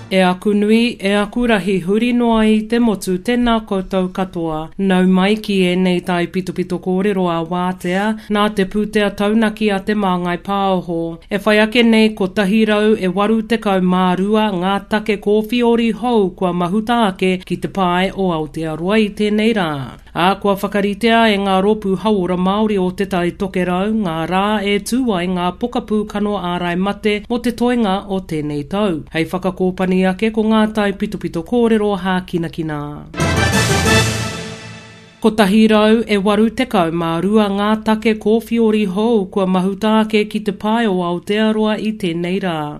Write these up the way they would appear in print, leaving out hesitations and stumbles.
E aku nui, e aku rahi huri noa i te motu, tēnā koutou katoa. Nau mai ki ēnei taipitopito kōrero a Wātea, nā te pūtea taunaki a Te Māngai Pāoho. E whai ake nei 182 ngā take kōwhiori hou kua mahuta ake ki te pae o Aotearoa i tēnei rā. Ā, kua whakaritea e ngā rōpū hauora Māori o Te Tai Tokerau ngā rā e tū ai ngā pokapū kano ārai mate mō te toenga o tēnei tau. Hei whakakōpani ake ko ngā taipitopito kōrero hākinakina. 182 ngā take kōwhiori hou kua mahuta ake ki te pae o Aotearoa i tēnei rā.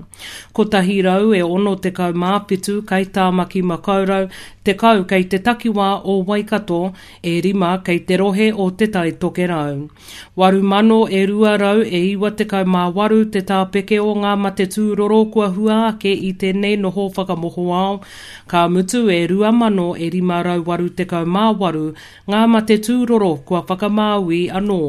167 kei Tāmaki Makaurau, 10 kei te takiwā o Waikato, e rima kei te rohe o Te Tai Tokerau. 8,000 e 200 e 98 te tāpeke o ngā mate tūroro kua hua ake i tēnei noho whakamohoao, ka mutu e 2,000 e 588 ngā mate tūroro kua whakamāui anō.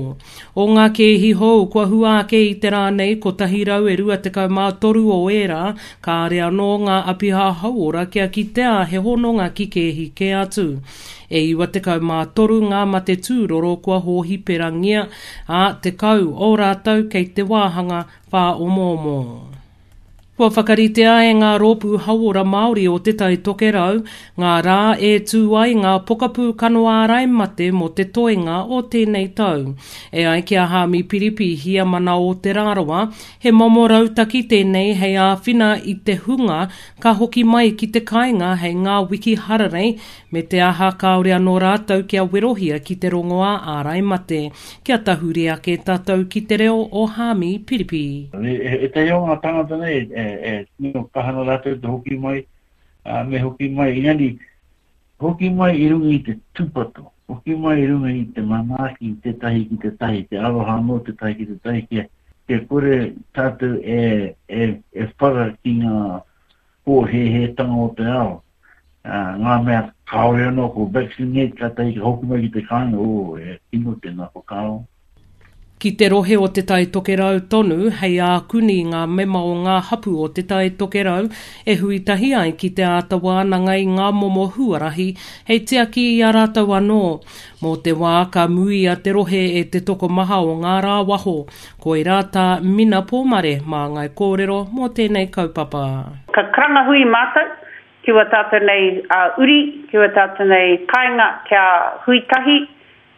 O ngā kēhi hou kua hua ake i te rā nei, 123 o ērā, kāre anō ngā apiha hauora kia kitea he hononga ki kēhi kē atu. E 93 ngā mate tūroro kua hōhiperangia, ā, 10 o rātou kei te wāhanga whāomoomo. Kua whakaritea e ngā rōpū hauora Māori o Te Tai Tokerau ngā rā e tū ai ngā pokapū kano ārai mate mō te toenga o tēnei tau. E ai ki a Haami Piripi, Hiamana o Te Rarawa, he momo rautaki tēnei hei āwhina i te hunga ka hoki mai ki te kāinga hei ngā wiki hararei me te aha kāore anō rātou kia werohia ki te rongoā ārai mate. Kia tahuri ake tātou ki te reo o Haami Piripi. Ētahi o ngā tāngata nei e tino kaha ana rātou te hoki mai, me hoki mai, engari hoki mai i runga i te tūpato, hoki mai i runga i te manaaki i tētahi ki tētahi, te aroha anō tētahi ki tētahi, kia, kia kore tātou e, e, e whara ki ngā pōhēhētanga o te ao. Ngā mea kāore anō ko vaccinate kātahi ka hoki mai ki te kāinga, oh, he kino tēnā whakaaro. Ki te rohe o Te Tai Tokerau tonu, hei ākuni ngā mema o ngā hapū o Te Tai Tokerau e hui tahi ai ki te āta wānanga i ngā momo huarahi hei tiaki i a rātou anō. Mō te wā ka muia te rohe e te tokomaha o ngā rāwaho, koirā tā Mina Pōmare māngai kōrero mō tēnei kaupapa. Ka karanga hui mātou Ki ua tātou nei uri, ki ua tātou nei kāinga kia hui tahi,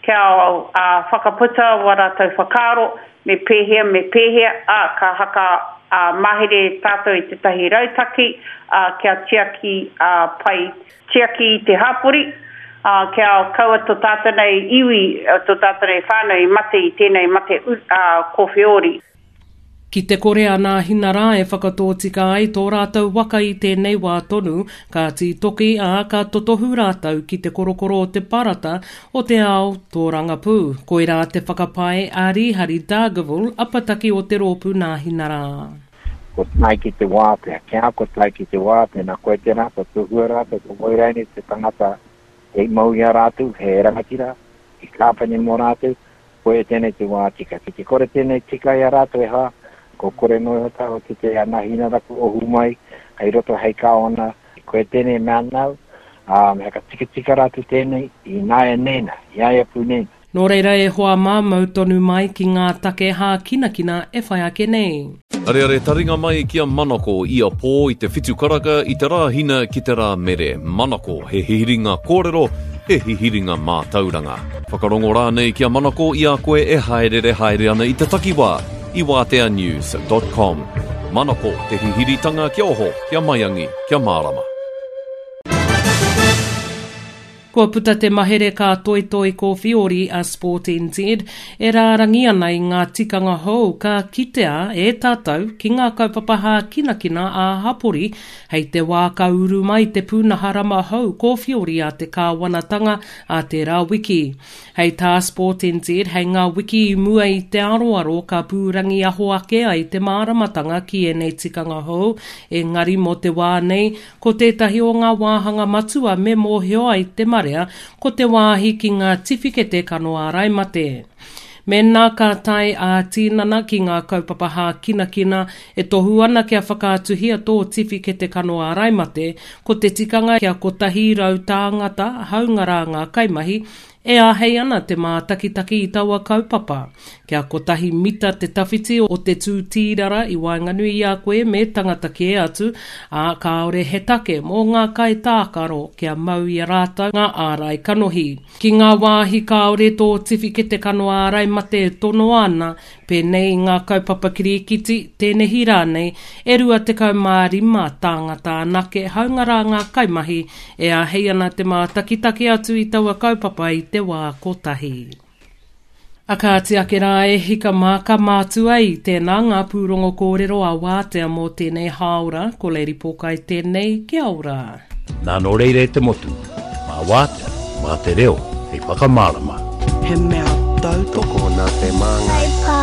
kia whakaputa wā rātou whakaaro, me pēhea, me pēhea, ā, ka haka mahere tātou i tētahi rautaki, ā, kia tiaki pai, tiaki i te hapori, ā, kia kaua tō tātou nei iwi, tō tātou nei whānau i mate i tēnei mate kōwheori. Ki te kore a Nāhina rā e whakatōtika ai tō rātou waka i tēnei wā tonu, ka tītoki, ā, ka totohu rātou ki te korokoro o te parata o te ao tōrangapū. Koirā te whakapae a Rīhari Dargaville, apataki o te rōpū Nāhina rā. Ko tae ki te wātea, kia ko tae ki te wā, tēnā koe tēnā, ko tohua rātou, ko wai rainei te tangata hei mau i a rātou, he rangatira, he kāpene mō rātou, Koia tēnei te wā tika. Ki te kore tēnei tika i a rātou e hā, ko kore noa iho tāua ki te ana hina rapu ohu mai hei roto hei kāwana, koia tēnei mea nāu, ā, me whakatikatika rātou tēnei i nāianei nā, i a ia pū nei nā. Nō reira e hoa mā, mau tonu mai ki ngā take hākinakina e whai ake nei. Areare taringa mai ki a Manako ia pō i te whitu karaka i te Rāhina ki te Rāmere. Manako, he hihiringa kōrero, he hihiringa mātauranga. Whakarongo rānei ki a Manako i a koe e hāereere haere ana i te takiwā i wāteanews dot com. Manako, te hihiritanga kia oho, kia maiangi, kia mārama. Kua puta te mahere kā toitoi kōwhiori a Sport NZ e rārangi ana i ngā tikanga hou ka kitea e tātou ki ngā kaupapa hākinakina ā-hapori hei te wā ka uru mai te pūnaha rama hou kōwhiori a te kāwanatanga ā tērā wiki. Hei tā Sport NZ, hei ngā wiki i mua i te aroaro ka pūrangiaho ake ai te māramatanga ki ēnei tikanga hou, engari mō te wā nei, Ko tētahi o ngā wāhanga matua me mōhio ai te marea ko te wāhi ki ngā tiwhikete kano ārai mate. Mēnā ka tae ā-tinana ki ngā kaupapa hākinakina e tohu ana kia whakaatuhia tō tiwhikete kano ārai mate, ko te tikanga kia 100 tāngata, hāunga rā ngā kaimahi, e āhei ana te mātakitaki i taua kaupapa. Kia kotahi mita te tawhiti o te tū tīrara i waenganui i a koe me tangata kē atu, ā, kāore he take mō ngā kaitākaro kia mau i a rātou ngā ārai kanohi. Ki ngā wāhi kāore tō tiwhikete kano ārai mate e tonoa ana, pēnei i ngā kaupapa kirikiti, tēnehi rānei, e 25 tāngata anake, hāunga rā ngā kaimahi, e āhei ana te mātakitaki atu i taua kaupapa i te wā kotahi. A kāti ake rā e hika mā ka mātua i tēnā ngā pūrongo kōrero a Wātea mō tēnei hāora, ko Lady Pōkai tēnei, kia ora. Nā nō reira e te motu, mā Wātea, mā te reo hei whakamārama. He mea tautoko nā te Māngai.